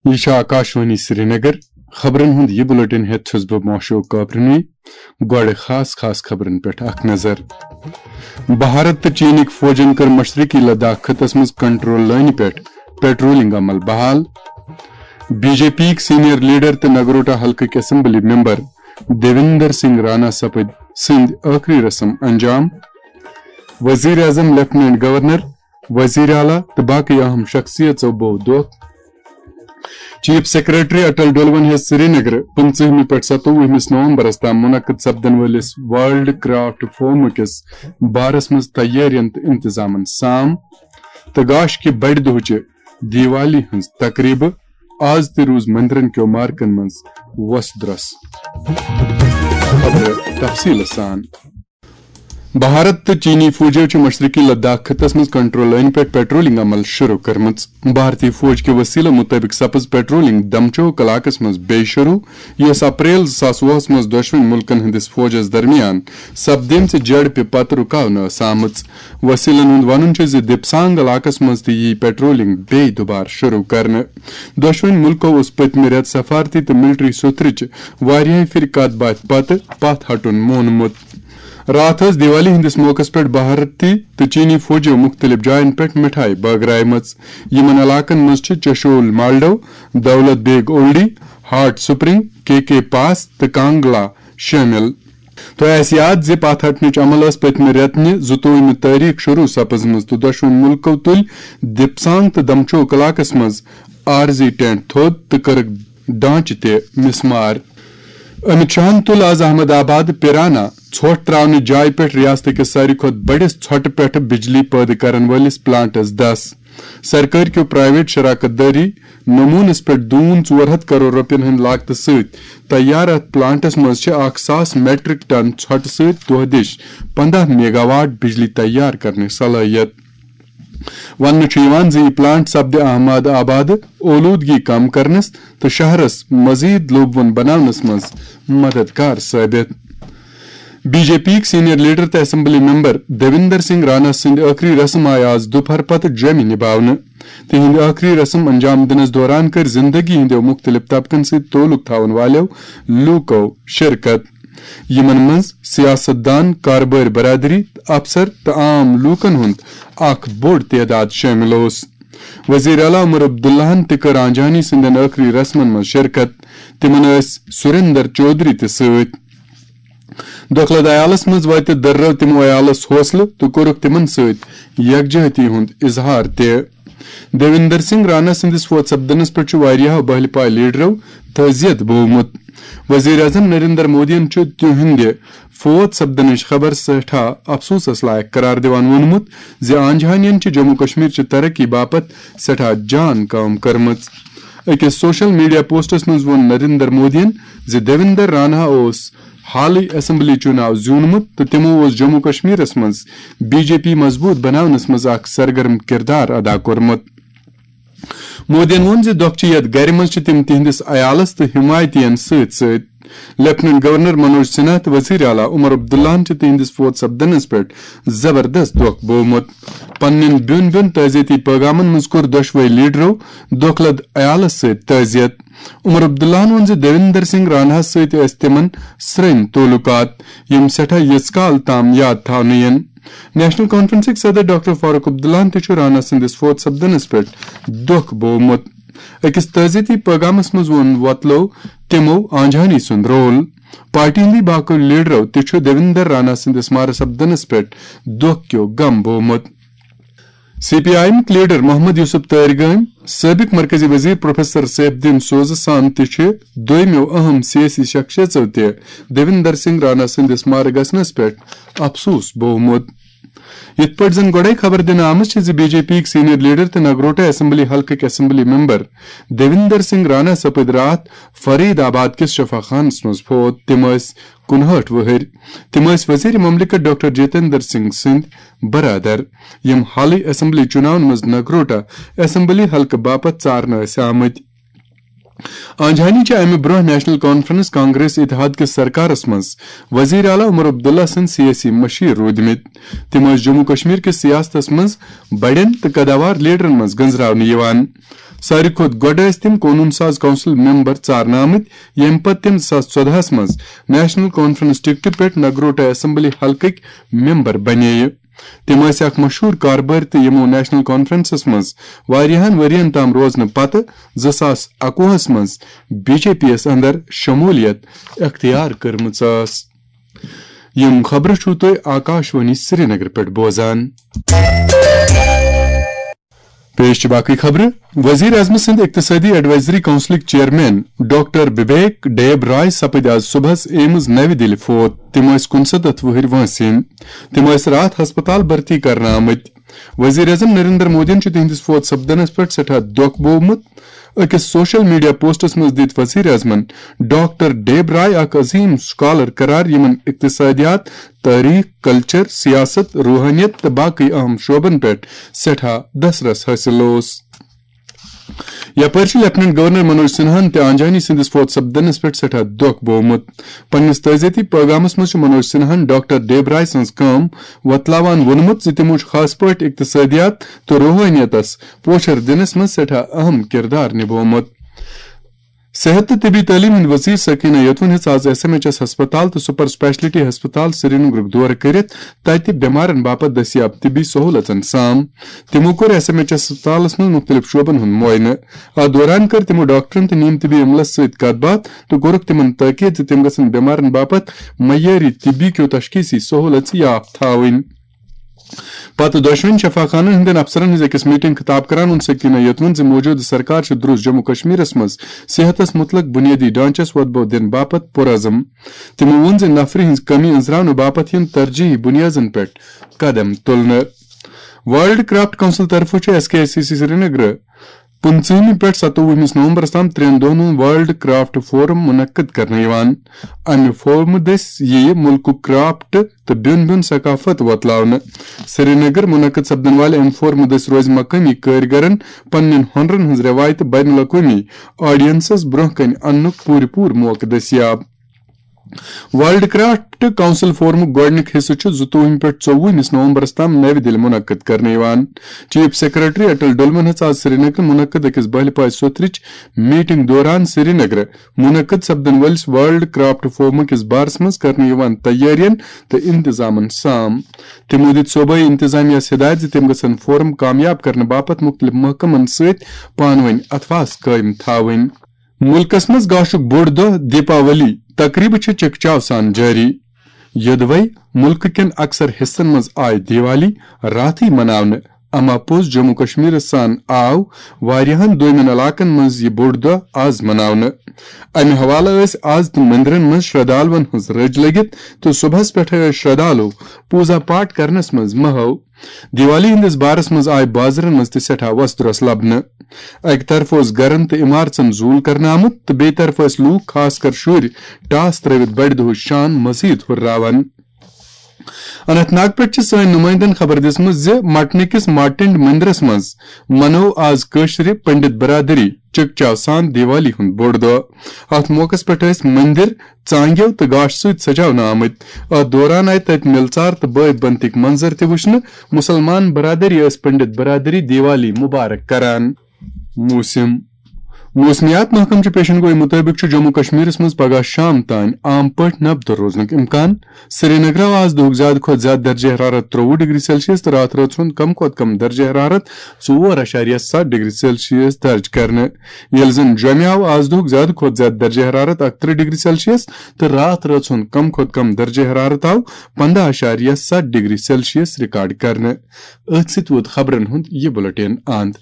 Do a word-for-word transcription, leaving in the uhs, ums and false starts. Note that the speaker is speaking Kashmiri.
یہِ چھِ آکاشوانی سرینگر۔ خبرن ہُنٛد یہِ بُلٹن ہٮ۪تھ چھُس بہٕ موشوق کاپرنوی۔ گۄڈٕ خاص خاص خبرن پٮ۪ٹھ اکھ نظر۔ بھارت تہٕ چینٕکۍ فوجن کٔر مشرقی لداخ خطس منٛز کنٹرول لٲنہِ پٮ۪ٹھ پیٹرولنگ عمل بحال۔ بی جے پی یِکۍ سینئر لیڈر تہٕ نگروٹا حلقٕکۍ اسمبلی ممبر دیویندر سنگھ رانا سپٕدۍ سٕنٛدۍ ٲخری رسم انجام۔ وزیر اعظم، لیفٹیننٹ گورنر، وزیر اعلیٰ تہٕ باقٕے اہم شخصیژو بوو دۄکھ۔ چیف سیکرٹری اٹل ڈولون ہیٚژ سرینگرٕ پٕنٛژٕہمہِ پٮ۪ٹھ ستووُہمِس نومبرس تام منعقد سپدن وٲلِس ورلڈ کرافٹ فورم کِس بارس منٛز تیٲرین تہٕ انتظامن سام۔ تہٕ گاش کہِ بڑِ دۄہچہِ دیوالی ہٕنٛز تقریبہٕ۔ آز تہِ روٗز مندرن کیو مارکن منٛز وۄس درۄس۔ خبرٕ تفصیٖلہٕ سان۔ بھارت تہٕ چینی فوجو چھِ مشرقی لداخ خطس منٛز کنٹرول لٲنہِ پٮ۪ٹھ پیٹرولنگ عمل شروع کٔرمٕژ۔ بھارتی فوج کہِ وسیلہٕ مُطٲبِق سپٕز پیٹرولنگ دمچوک علاقس منٛز بیٚیہِ شروع، یۄس اپریل زٕ ساس وُہس منٛز دۄشوٕنۍ مُلکن ہٕنٛدِس فوجس درمیان سپدیمژِ جھڑپہِ پتہٕ رُکاونہٕ ٲس آمٕژ۔ وسیلن ہُنٛد ونُن چھُ زِ دِپسانگ علاقس منٛز تہِ ییہِ پیٹرولنگ بیٚیہِ دُبارٕ شروع کرنہٕ۔ دۄشوٕنۍ مُلکو اوس پٔتمہِ رٮ۪تہٕ سفارتی تہٕ ملٹری سوٚتھرٕچہِ واریاہہِ پھِرِ کتھ باتھِ پتہٕ پتھ ہٹُن مونمُت۔ راتھ ٲس دیوالی ہٕنٛدِس موقعس پٮ۪ٹھ بھارتی تہٕ چینی فوجو مُختٔلِف جاین پٮ۪ٹھ مِٹھایہِ بٲگرایمژ۔ یِمن علاقن منٛز چھِ چشول مالڈو، دولت بیگ اولڈی، ہاٹ سپرنگ، کے کے پاس تہٕ کانگلا شٲمِل۔ تۄہہِ آسہِ یاد زِ پتھ ہٹنٕچ عمل ٲس پٔتمہِ رٮ۪تہٕ نہِ زٕتووُہمہِ تٲریخ شروع سپٕزمٕژ تہٕ دۄشوٕنۍ مُلکو تُلۍ دِپسانگ تہٕ دمچوک علاقس منٛز عارضی ٹینٹ تھوٚد تہٕ کٔرٕکھ ڈانچہٕ تہِ مسمار۔ امت شاہن تُل آز احمد آباد پیرانا ژھۄٹھ تراونہٕ جایہِ پٮ۪ٹھ ریاست کِس ساروی کھۄتہٕ بٔڑِس ژھۄٹہٕ پٮ۪ٹھ بجلی پٲدٕ کرن وٲلِس پلانٹس دس۔ سرکٲرۍ کیو پرائیویٹ شراکت دٲری نمونس پٮ۪ٹھ دوٗن ژور ہتھ کرور رۄپین ہٕنٛدِ لاگتہٕ سۭتۍ تیار اتھ پلانٹس منٛز چھِ اکھ ساس میٹرک ٹن ژھۄٹہٕ سۭتۍ دۄہ دِش پنداہ میگاواٹ بجلی تیار کرنٕچ صلٲحیت۔ وننہٕ چھُ یِوان زِ یہِ پلانٹ سپدِ احمد آبادٕ اولوٗدگی کم کرنس تہٕ شہرس مزید لوٗبوُن بناونس منٛز مددگار ثٲبت۔ بی جے پی یِکۍ سینئر لیڈر تہٕ اسمبلی ممبر دیویندر سنگھ رانا سٕنٛدۍ ٲخری رسم آیہِ آز دُپہر پتہٕ جوٚمہِ نِباونہٕ۔ تِہنٛدۍ ٲخری رسم انجام دِنس دوران کٔرۍ زندگی ہٕنٛدیو مُختٔلِف طبقن سۭتۍ تعلق تھاون والٮ۪و لوٗکو شرکت، یِمن منٛز سیاست دان، کاربٲرۍ برادری، افسر تہٕ عام لوٗکن ہُنٛد اکھ بوٚڑ تعداد شٲمِل اوس۔ وزیر اعلیٰ عمر عبداللہن تہِ کٔر آنجہانی سٕنٛدٮ۪ن ٲخری رسمن منٛز شرکت۔ تِمن ٲسۍ سریندر چودھری تہِ سۭتۍ۔ دۄکھلہٕ عیالس منٛز وٲتِتھ دٔررٲو تِمو عیالس حوصلہٕ تہٕ کوٚرُکھ تِمن سۭتۍ یکجہتی ہُنٛد اظہار تہِ۔ دیویندر سنگھ رانا سٕنٛدِس فوت سپدنس پٮ۪ٹھ چھُ واریاہو بہلہِ پایہِ لیڈرو تعزیت بوومُت۔ وزیر اعظم نریندر مودیَن چھُ تِہنٛدِ فوت سپدنٕچ خبر سٮ۪ٹھاہ افسوسس لایق قرار دِوان ووٚنمُت زِ آنجہانین چھِ جموں کشمیر چہِ ترقی باپتھ سٮ۪ٹھاہ جان کٲم کٔرمٕژ۔ أکِس سوشل میڈیا پوسٹس منٛز ووٚن نریندر مودیَن زِ دیویندر رانا اوس حالٕے اسمبلی چُناو زیوٗنمُت تہٕ تِمو اوس جموں کشمیرس منٛز بی جے پی مضبوٗط بناونس منٛز اکھ سرگرم کردار ادا کوٚرمُت۔ مودیَن ووٚن زِ دۄکھچہِ یتھ گرِ منٛز چھِ تِم تِہنٛدِس عیالس تہٕ حمایتین سۭتۍ سۭتۍ۔ لیفٹیننٹ گورنر منوج سنہا تہٕ وزیر اعلیٰ عمر عبداللہن چھِ تِہنٛدِس فوت سپدنس پٮ۪ٹھ زبردست دۄکھ بوومُت۔ پننٮ۪ن بیوٚن بیوٚن تعزیتی پیغامن منٛز کوٚر دۄشوے لیڈرو دۄکھلہٕ عیالس سۭتۍ تعزیت۔ عمر عبداللہن ووٚن زِ دیویندر سنگھ راناہس سۭتۍ ٲسۍ تِمن سرٛنۍ تعلقات، یِم سٮ۪ٹھاہ ییٖژ کال تام یاد تھاونہٕ یِن۔ نیشنل کانفرنسٕکۍ صدر ڈاکٹر فاروق عبداللہن تہِ چھُ رانا سٕنٛدِس فوت سپدنس پٮ۪ٹھ دۄکھ بوومُت۔ أکِس تعزیتی پیغامس منٛز ووٚن وۄتلو تِمو آنجہانی سُنٛد رول۔ پارٹی ہٕنٛدۍ باقٕے لیڈرو تہِ چھُ دیویندر رانا سٕنٛدِس مارٕ سپدنس پٮ۪ٹھ دۄکھ کیو غم بوومُت۔ سی پی آئی ایمٕکۍ لیڈر محمد یوسف تٲرگٲمۍ، سٲبق مرکزی وزیر پروفیسر سیف الدین سوزٕ سان تہِ چھِ دویمو اہم سیٲسی شخصیژو تہِ دیویندر سنگھ رانا سٕنٛدِس مارٕ گژھنس پٮ۪ٹھ افسوس بوومُت۔ یِتھ پٲٹھۍ زن گۄڈے خبر دِنہٕ آمٕژ چھِ زِ بی جے پی یِکۍ سینئر لیڈر تہٕ نگروٹا اسمبلی حلقٕکۍ اسمبلی ممبر دیویندر سنگھ رانا سپٕدۍ راتھ فرید آباد کِس شفا خانس منٛز فوت۔ تِم ٲسۍ کُنہٲٹھ وُہٕرۍ۔ تِم ٲسۍ وزیر مملکت ڈاکٹر جتیندر سنگھ سٕنٛدۍ برادر، یِم حالٕے اسمبلی چُناون منٛز نگروٹا اسمبلی حلقہٕ باپتھ ژارنہٕ ٲسۍ آمٕتۍ۔ آنجہانی چھِ امہِ برونٛہہ نیشنل کانفرنس کانگریس اتحاد کِس سرکارس منٛز وزیر اعلیٰ عمر عبداللہ سٕنٛدۍ سیٲسی مشیر روٗدمٕتۍ۔ تِم ٲسۍ جموں کشمیر کِس سیاستس منٛز بڑٮ۪ن تہٕ قداوار لیڈرن منٛز گنزراونہٕ یِوان۔ ساروی کھۄتہٕ گۄڈٕ ٲسۍ تِم قونوٗن ساز کونسل ممبر ژارنہٕ آمٕتۍ، ییٚمہِ پتہٕ تِم زٕ ساس ژۄدہَس منٛز نیشنل کانفرنس ٹکٹہٕ پٮ۪ٹھ نگروٹا اسمبلی حلقٕکۍ ممبر بنے۔ تِم ٲسۍ اکھ مشہوٗر کاربٲرۍ تہٕ یِمو نیشنل کانفرنسس منٛز واریاہن ؤرین تام روزنہٕ پتہٕ زٕ ساس اَکوُہَس منٛز بی جے پی یَس اندر شمولیت اختیار کٔرمٕژ ٲس۔ یِم خبرٕ چھِو تُہۍ آکاشوانی سرینگر پٮ۪ٹھ بوزان۔ پیش چھِ باقٕے خبرٕ۔ وزیر اعظم سٕنٛدۍ اقتصٲدی ایڈوائزری کونسلٕکۍ چیئرمین ڈاکٹر ببیک ڈیب رائے سپٕدۍ آز صبحس ایمز نَوِ دِلہِ فوت۔ تِم ٲسۍ کُنسَتتھ وُہٕرۍ وٲنٛسہِ ہٕنٛدۍ۔ تِم ٲسۍ راتھ ہسپتال بھرتی کرنہٕ آمٕتۍ۔ وزیر اعظم نریندر مودیَن چھُ تِہنٛدِس فوت سپدنس پٮ۪ٹھ سیٹھاہ دۄکھ بوومُت۔ أکِس سوشل میڈیا پوسٹس منٛز دِتۍ وزیر اعظمن ڈاکٹر ڈیب رائے اکھ عظیم سکالر قرار، یِمن اقتصادیات، تٲریخ، کلچر، سیاست، روحانیت تہٕ باقٕے اہم شعبن پٮ۪ٹھ سٮ۪ٹھاہ دسترس حٲصِل اوس۔ یپٲرۍ چھُ لیفٹیننٹ گورنر منوج سنہاہن تہِ آنجہانی سٕنٛدِس فوت سپدنس پٮ۪ٹھ سٮ۪ٹھاہ دۄکھ بوومُت۔ پننِس تعزیتی پیغامس منٛز چھُ منوج سنہاہن ڈاکٹر ڈیب رائے سٕنٛز کٲم وۄتلاوان ووٚنمُت زِ تِمو چھُ خاص پٲٹھۍ اقتصٲدیات تہٕ روحانیتس پوچھر دِنس منٛز سٮ۪ٹھاہ اہم کردار نِبوومُت۔ صحت تہٕ طبی تعلیٖم ہٕنٛدۍ وزیر سکینہ یتون ہیٚژ آز ایس ایم ایچ ایس ہسپتال تہٕ سپر اسپیشلٹی ہسپتال سرینگرُک دورٕ کٔرِتھ تتہِ بٮ۪مارن باپتھ دٔستیاب طبی سہولژن سام۔ تِمو کوٚر ایس ایم ایچ ایس ہسپتالس منٛز مُختٔلِف شعبن ہُنٛد معاینہٕ۔ اتھ دوران کٔر تِمو ڈاکٹرن تہٕ نیم طبی عملس سۭتۍ کتھ باتھ تہٕ کوٚرُکھ تِمن تٲکید زِ تِم گژھن بٮ۪مارن باپتھ معیٲری طبی کیو تشخیصی سہولژ یافتہٕ تھاوٕنۍ۔ پتہٕ دۄشوٕنی شفاخانن ہٕنٛدٮ۪ن افسرن ہٕنٛز أکِس میٹنگ خطاب کران ووٚن سکینہ یتون زِ موجودٕ سرکار چھِ درست جموں کشمیرس منٛز صحتس متعلق بنیٲدی ڈھانچس وۄتبو دِنہٕ باپتھ پرعزم۔ تِمو ووٚن زِ نفری ہٕنٛز کمی أنزراونہٕ باپتھ یِن ترجیحی بنیادن پٮ۪ٹھ قدم تُلنہٕ۔ ورلڈ کرافٹ کونسل طرفہٕ چھُ ایس کے ایس سی سی سرینگر پٕنٛژٕہمہِ پٮ۪ٹھ ستووُہمِس نومبرس تام ترٛٮ۪ن دۄہن ہُنٛد ورلڈ کرافٹ فورم منعقد کرنہٕ یِوان۔ امہِ فورمہٕ دٔسۍ یِیہِ مُلکُک کرافٹ تہٕ بیوٚن بیوٚن ثقافت وۄتلاونہٕ۔ سرینگر منعقد سپدن والہِ امہِ فورمہٕ دٔسۍ روزِ مقٲمی کٲرۍگرن پننٮ۪ن ہۄنرن ہٕنٛز روایتہٕ بین الاقوٲمی آڈینسس برونٛہہ کنہِ اننُک پوٗرٕ پوٗرٕ موقعہٕ دٔستیاب۔ ورلڈ کرافٹ کونسل فورمُک گۄڈٕنیُک حصہٕ چھُ زٕتووُہمہِ پٮ۪ٹھ ژوٚوُہمِس نومبرس تام نَوِ دِلہِ منعقد کرنہٕ یِوان۔ چیف سیکرٹری اٹل ڈُلمن ہیٚژ آز سرینگرٕ منعقد أکِس بہلہِ پاے سوٚتھرٕچ میٹنگ دوران سرینگرٕ منعقد سپدن وٲلِس ورلڈ کرافٹ فورم کِس بارس منٛز کرنہٕ یِوان تیٲرین تہٕ انتظامن سام۔ تِمو دِتۍ صوبٲئی انتظامیہس ہدایت زِ تِم گژھن فورم کامیاب کرنہٕ باپتھ مُختٔلِف محکمن سۭتۍ پانہٕ وٲنۍ اتھواس قٲیِم تھاوٕنۍ۔ مُلکس منٛز گاشُک بوٚڑ دۄہ دیپاولی تقریبہٕ چھِ چکچاو سان جٲری۔ یوٚدوے مُلکہٕ کٮ۪ن اکثر حصن منٛز آیہِ دیوالی راتھٕے مناونہٕ، اما پوٚز جموں کشمیرس سان آو واریاہن دویمٮ۪ن علاقن منٛز یہِ بوٚڑ دۄہ آز مناونہٕ۔ امہِ حوالہٕ ٲسۍ آز تہِ مندرن منٛز شردالون ہٕنٛز رٔج لٔگِتھ تہٕ صبحس پٮ۪ٹھے ٲسۍ شردالو پوٗزا پاٹھ کرنس منٛز محو۔ دیوالی ہٕنٛدِس بارس منٛز آیہِ بازرن منٛز تہِ سٮ۪ٹھاہ وۄسدرۄس لبنہٕ۔ اکہِ طرفہٕ اوس گرن تہٕ عمارژن زوٗل کرنہٕ آمُت تہٕ بیٚیہِ طرفہٕ ٲسۍ لوٗکھ، خاص کر شُرۍ، ٹاس ترٲوِتھ بڑِ دۄہٕچ شان مزید ہُرراوان۔ اننت ناگ پٮ۪ٹھ چھِ سٲنۍ نُمٲیندن خبر دِژمٕژ زِ مٹنہٕ کِس مارٹنڈ مندرس منٛز منوو آز کٲشرِ پنڈت برادری چکچاو سان دیوالی ہُنٛد بوٚڑ دۄہ۔ اتھ موقعس پٮ۪ٹھ ٲسۍ مندر ژانگیو تہٕ گاش سۭتۍ سجاونہٕ آمٕتۍ۔ اتھ دوران آیہِ تتہِ مِلژار تہٕ بٲے بنتٕکۍ منظر تہِ وٕچھنہٕ۔ مُسلمان برادری ٲس پنڈت برادری دیوالی مبارک کران۔ موسم۔ موسمیات محکمہٕ چہِ پیشن گوئی مُطٲبِق چھُ جموں کشمیرس منٛز پگاہ شام تام عام پٲٹھۍ نبدٕ روزنُک امکان۔ سرینگرٕ آو آز دُہُک زیادٕ کھۄتہٕ زیادٕ درجہ حرارت ترٛۆوُہ ڈگری سیلسیس تہٕ راتھ رٲژ ہُنٛد کم کھۄتہٕ کم درجہ حرارت ژور اعشاریہ ستھ ڈگری سیلسیس درج کرنہٕ، ییٚلہِ زن جوٚمہِ آو آز دُہُک زیادٕ کھۄتہٕ زیادٕ درجہ حرارت اکترٕہ ڈگری سیلسیس تہٕ راتھ رٲژ ہُنٛد کم کھۄتہٕ کم درجہ حرارت آو پنٛداہ اعشاریہ ستھ ڈگری سیلسیس ریکارڈ کرنہٕ۔ أتھۍ سۭتۍ ووت خبرن ہُنٛد یہِ بُلٹن اند۔